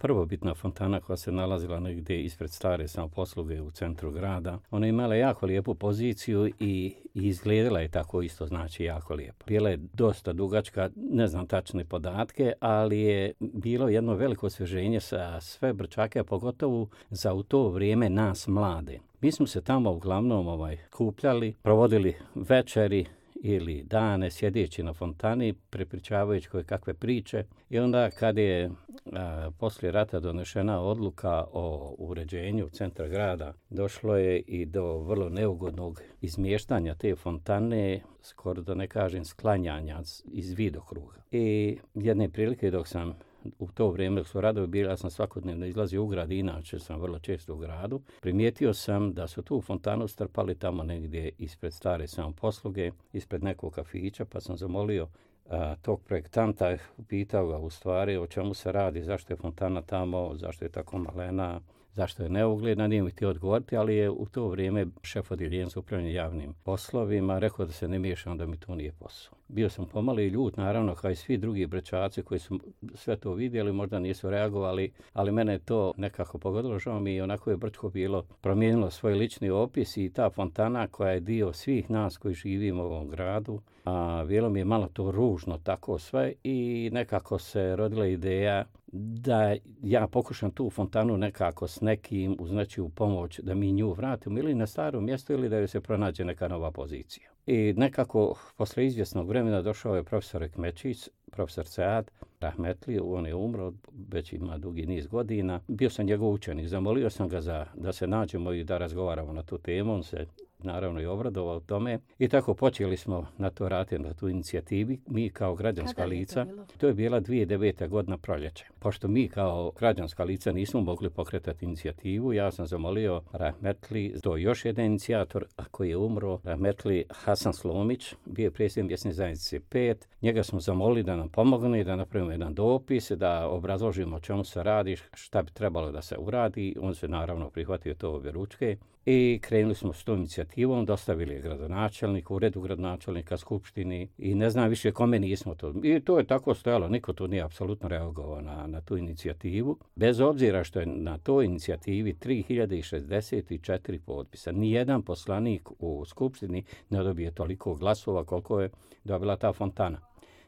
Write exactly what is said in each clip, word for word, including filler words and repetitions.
prvobitna fontana koja se nalazila negdje ispred stare samoposluge u centru grada. Ona je imala jako lijepu poziciju i, i izgledala je tako isto, znači jako lijepo. Bila je dosta dugačka, ne znam tačne podatke, ali je bilo jedno veliko osvježenje sa sve Brčake, a pogotovo za u to vrijeme nas mlade. Mi smo se tamo uglavnom ovaj, kupljali, provodili večeri ili dane sjedeći na fontani, prepričavajući koje kakve priče. I onda kad je a, poslije rata donešena odluka o uređenju centra grada, došlo je i do vrlo neugodnog izmještanja te fontane, skoro da ne kažem sklanjanja iz vidokruga. I jedne prilike dok sam u to vrijeme dok su radovi bili, ja sam svakodnevno izlazio u grad, inače sam vrlo često u gradu. Primijetio sam da su tu fontanu strpali tamo negdje ispred stare samoposluge, ispred nekog kafića, pa sam zamolio a, tog projektanta, pitao ga u stvari o čemu se radi, zašto je fontana tamo, zašto je tako malena, zašto je neugledna, nije mi htio odgovoriti, ali je u to vrijeme šef odjeljenja za upravljanje javnim poslovima rekao da se ne miješam, da mi to nije posao. Bio sam pomalo i ljut, naravno, kao i svi drugi Brčaci koji su sve to vidjeli, možda nisu reagovali, ali mene je to nekako pogodilo. Žao mi i onako je Brčko bilo promijenilo svoj lični opis i ta fontana koja je dio svih nas koji živimo u ovom gradu. A bilo mi je malo to ružno tako sve i nekako se rodila ideja da ja pokušam tu fontanu nekako s nekim uz nečiju pomoć da mi nju vratimo ili na staro mjesto ili da joj se pronađe neka nova pozicija. I nekako posle izvjesnog vremena došao je profesor Ekmečić, profesor Sead Rahmetli, on je umro, već ima dugi niz godina. Bio sam njegov učenik, zamolio sam ga za, da se nađemo i da razgovaramo na tu temu, on se naravno i obradovao tome. I tako počeli smo na to raditi, na tu inicijativi, mi kao građanska lica. To, to je bila dvije tisuće devete. godina proljeće. Pošto mi kao građanska lica nismo mogli pokretati inicijativu, ja sam zamolio Rahmetli, to je još jedan inicijator koji je umro, Rahmetli Hasan Slomić, bio je predsjednik mjesne zajednice pet. Njega smo zamolili da nam pomogne, da napravimo jedan dopis, da obrazložimo o čemu se radi, šta bi trebalo da se uradi. On se naravno prihvatio to objeručke. I krenuli smo s tom inicijativom, dostavili je gradonačelnik, uredu gradonačelnika, skupštini i ne znam više kome nismo to. I to je tako stojalo, niko tu nije apsolutno reagovao na, na tu inicijativu. Bez obzira što je na toj inicijativi tri hiljade šezdeset četiri potpisa. Nijedan poslanik u skupštini ne dobije toliko glasova koliko je dobila ta fontana.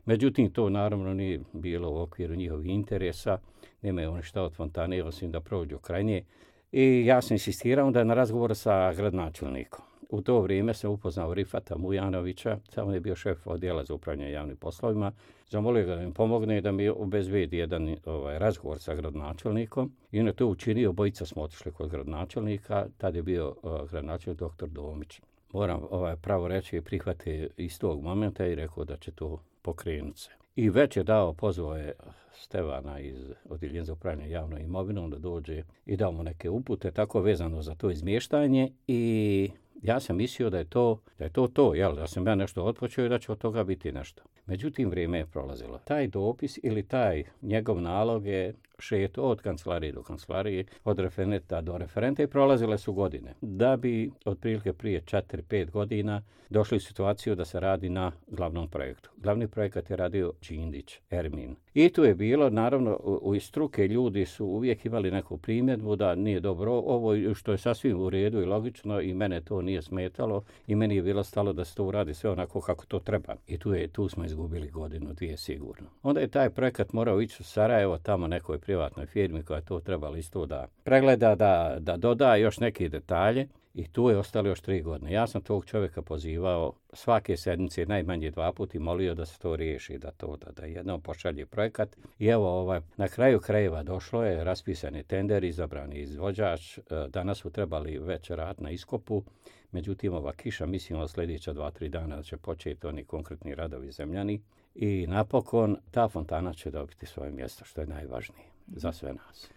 Međutim, to naravno nije bilo u okviru njihovih interesa, nemaju oni šta od fontane, osim da prođu kraj nje. I ja sam insistirao da na razgovor sa gradonačelnikom. U to vrijeme sam upoznao Rifata Mujanovića, on je bio šef odjela za upravljanje javnim poslovima. Zamolio ga da mi pomogne da mi obezbedi jedan ovaj, razgovor sa gradonačelnikom. I on je to učinio, obojica smo otišli kod gradonačelnika, tad je bio uh, gradonačelnik doktor Domić. Moram ovaj, pravo reći, prihvate iz tog momenta i rekao da će to pokrenuti se. I već je dao, pozvao je Stevana iz odjeljenja za upravljanje javnom imovinom da dođe i dao mu neke upute tako vezano za to izmještanje i ja sam mislio da je to da je to, to jel, da sam ja nešto otpočeo i da će od toga biti nešto. Međutim, vrijeme je prolazilo. Taj dopis ili taj njegov nalog je šeto od kancelarije do kancelarije, od referenta do referenta i prolazile su godine. Da bi otprilike prije četiri pet godina došli u situaciju da se radi na glavnom projektu. Glavni projekat je radio Čindić, Ermin. I tu je bilo, naravno, u, u struke ljudi su uvijek imali neku primjedbu da nije dobro ovo, što je sasvim u redu i logično i mene to nije smetalo i meni je bilo stalo da se to uradi sve onako kako to treba. I tu, je, tu smo izgubili godinu, dvije sigurno. Onda je taj projekat morao ići u Sarajevo, tamo nekoj privatnoj firmi koja je to trebala isto da pregleda, da, da doda još neke detalje i tu je ostalo još tri godine. Ja sam tog čovjeka pozivao svake sedmice najmanje dva puta i molio da se to riješi, da to da, da jednom pošalje projekat. I evo, ovaj, na kraju krajeva došlo je, raspisan je tender, izabrani izvođač. Danas su trebali već raditi na iskopu, međutim ova kiša, mislim od sljedeća dva, tri dana da će početi oni konkretni radovi zemljani. I napokon ta fontana će dobiti svoje mjesto, što je najvažnije za sve nas.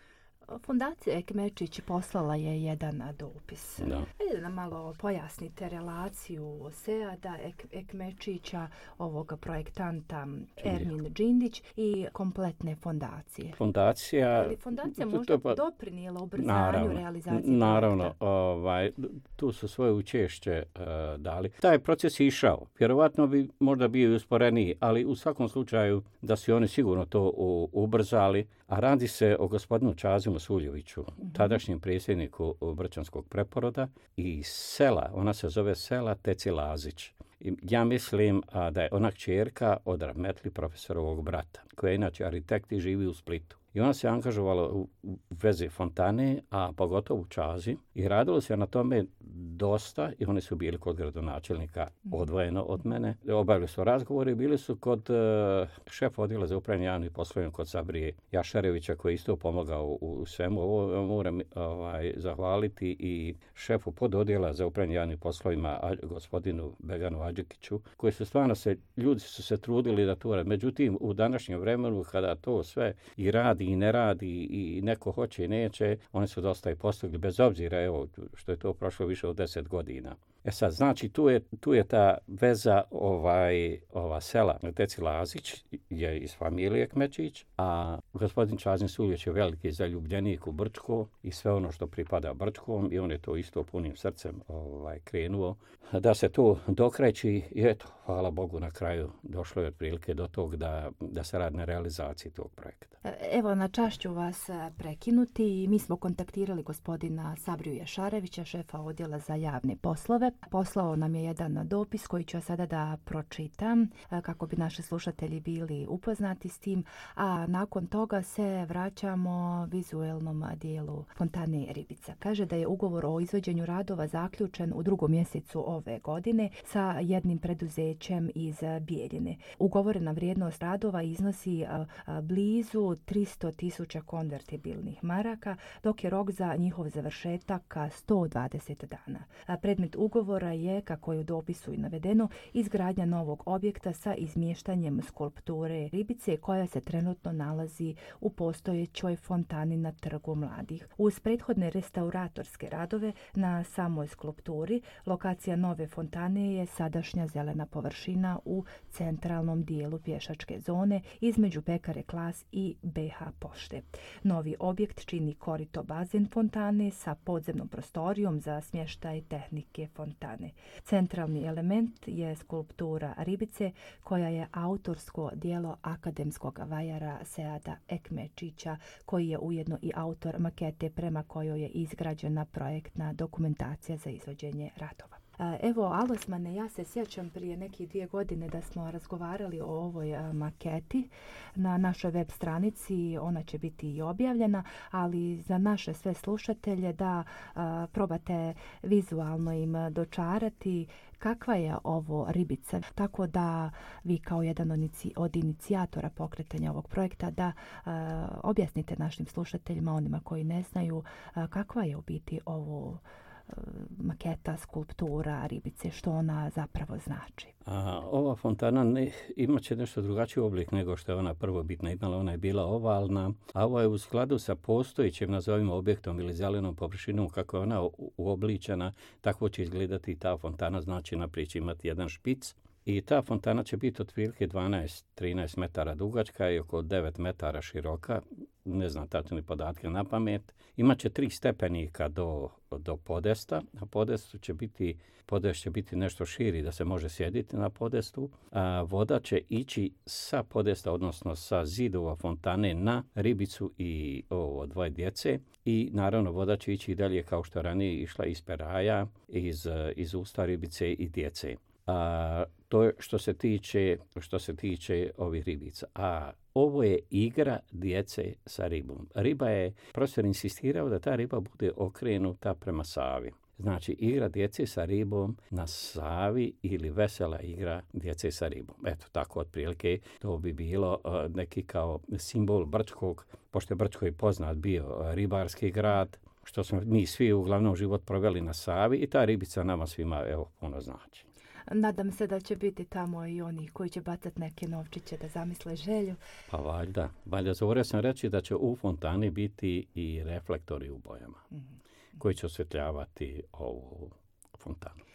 Fondacija Ekmečić poslala je jedan dopis. Da. Ajde da malo pojasnite relaciju Seada Ek, Ekmečića, ovog projektanta Ermin Džindić i kompletne fondacije. Fondacija... Ali fondacija možda pa, doprinijela ubrzanju naravno, realizacije naravno, projekta? Ovaj, tu su svoje učešće uh, dali. Taj proces je išao. Vjerovatno bi možda bio i usporeniji, ali u svakom slučaju da su oni sigurno to u, ubrzali. A radi se o gospodinu Čazimu Suljeviću, mm-hmm. tadašnjem predsjedniku Brčanskog preporoda i sela, ona se zove sela Teci Lazić. I ja mislim a, da je ona kćerka od rahmetli profesorovog brata, koja je inače arhitekt i živi u Splitu. I ona se angažovala u vezi fontane, a pogotovo u Čazi. I radilo se na tome dosta i oni su bili kod gradonačelnika odvojeno od mene. Obavili su razgovore i bili su kod uh, šefa odjela za upravljanje javnim poslovima kod Sabrije Jašarevića koji isto pomogao u, u svemu. Ovo moram ovaj, zahvaliti i šefu pododjela za upravljanje javnim poslovima a, gospodinu Beganu Adžikiću koji su stvarno se, ljudi su se trudili da to rade. Međutim, u današnjem vremenu kada to sve i radi i ne radi i neko hoće i neće, oni su dosta i postigli, bez obzira evo, što je to prošlo više od deset godina. E sad, znači, tu je, tu je ta veza ovaj, ova sela. Teci Lazić je iz familije Kmečić, a gospodin Čazin Suljević je veliki zaljubljenik u Brčko i sve ono što pripada Brčkom i on je to isto punim srcem ovaj, krenuo. Da se to dokreći i eto, hvala Bogu, na kraju došlo je otprilike do tog da, da se radi na realizaciji tog projekta. Evo, na čast ću vas prekinuti. Mi smo kontaktirali gospodina Sabriju Jašarevića, šefa odjela za javne poslove. Poslao nam je jedan dopis koji ću sada da pročitam kako bi naši slušatelji bili upoznati s tim, a nakon toga se vraćamo vizuelnom dijelu fontane Ribica. Kaže da je ugovor o izvođenju radova zaključen u drugom mjesecu ove godine sa jednim preduzećem iz Bijeljine. Ugovorena vrijednost radova iznosi blizu tristo tisuća konvertibilnih maraka, dok je rok za njihov završetak sto dvadeset dana. Predmet ugovora je, kako je u dopisu i navedeno, izgradnja novog objekta sa izmještanjem skulpture Ribice koja se trenutno nalazi u postojećoj fontani na Trgu mladih. Uz prethodne restauratorske radove na samoj skulpturi, lokacija nove fontane je sadašnja zelena površina u centralnom dijelu pješačke zone između Pekare Klas i be ha pošte. Novi objekt čini korito bazen fontane sa podzemnom prostorijom za smještaj tehnike fontane. Centralni element je skulptura Ribice koja je autorsko djelo akademskog vajara Seada Ekmečića koji je ujedno i autor makete prema kojoj je izgrađena projektna dokumentacija za izvođenje radova. Evo, Alosmane, ja se sjećam prije nekih dvije godine da smo razgovarali o ovoj maketi na našoj web stranici. Ona će biti i objavljena, ali za naše sve slušatelje da a, probate vizualno im dočarati kakva je ovo Ribica. Tako da vi kao jedan od inicijatora pokretanja ovog projekta da a, objasnite našim slušateljima, onima koji ne znaju, a, kakva je u biti ovo maketa, skulptura Ribice, što ona zapravo znači. A, ova fontana ne, imat će nešto drugačiji oblik nego što je ona prvobitna imala. Ona je bila ovalna, a ovo je u skladu sa postojećim, nazovimo, objektom ili zelenom površinom, kako je ona uobličena, tako će izgledati i ta fontana, znači naprijed će imati jedan špic. I ta fontana će biti otprilike dvanaest do trinaest metara dugačka i oko devet metara široka. Ne znam tačne podatke na pamet. Imaće tri stepenika do, do podesta. Na podestu će biti, podest će biti nešto širi da se može sjediti na podestu. A voda će ići sa podesta, odnosno sa zidova fontane na Ribicu i ovo dvoje djece. I naravno voda će ići i dalje kao što ranije išla iz peraja, iz, iz usta Ribice i djece. A, to je što se tiče, što se tiče ovih ribica. A ovo je igra djece sa ribom. Riba je, profesor insistirao da ta riba bude okrenuta prema Savi. Znači, igra djece sa ribom na Savi ili vesela igra djece sa ribom. Eto, tako otprilike to bi bilo uh, neki kao simbol Brčkog, pošto je Brčko i poznat bio uh, ribarski grad, što smo mi svi uglavnom život proveli na Savi i ta ribica nama svima evo puno znači. Nadam se da će biti tamo i oni koji će bacati neke novčiće da zamisle želju. Pa valjda. Valjda zaboravio sam reći da će u fontani biti i reflektori u bojama mm-hmm. koji će osvetljavati ovu fontanu.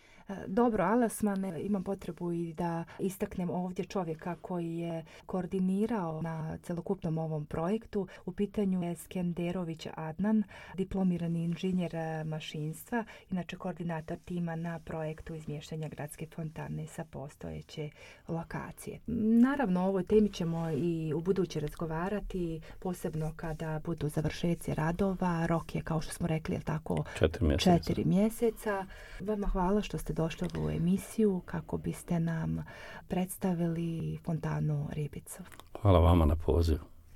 Dobro, Alasman, imam potrebu i da istaknem ovdje čovjeka koji je koordinirao na celokupnom ovom projektu. U pitanju je Skenderović Adnan, diplomirani inženjer mašinstva, inače koordinator tima na projektu izmještanja gradske fontane sa postojeće lokacije. Naravno, o ovoj temi ćemo i u buduće razgovarati, posebno kada budu završeci radova. Rok je, kao što smo rekli, je tako, četiri mjeseca. četiri mjeseca. Vama hvala što ste došli u ovu emisiju kako biste nam predstavili fontanu Ribicu. Hvala vama na pozivu.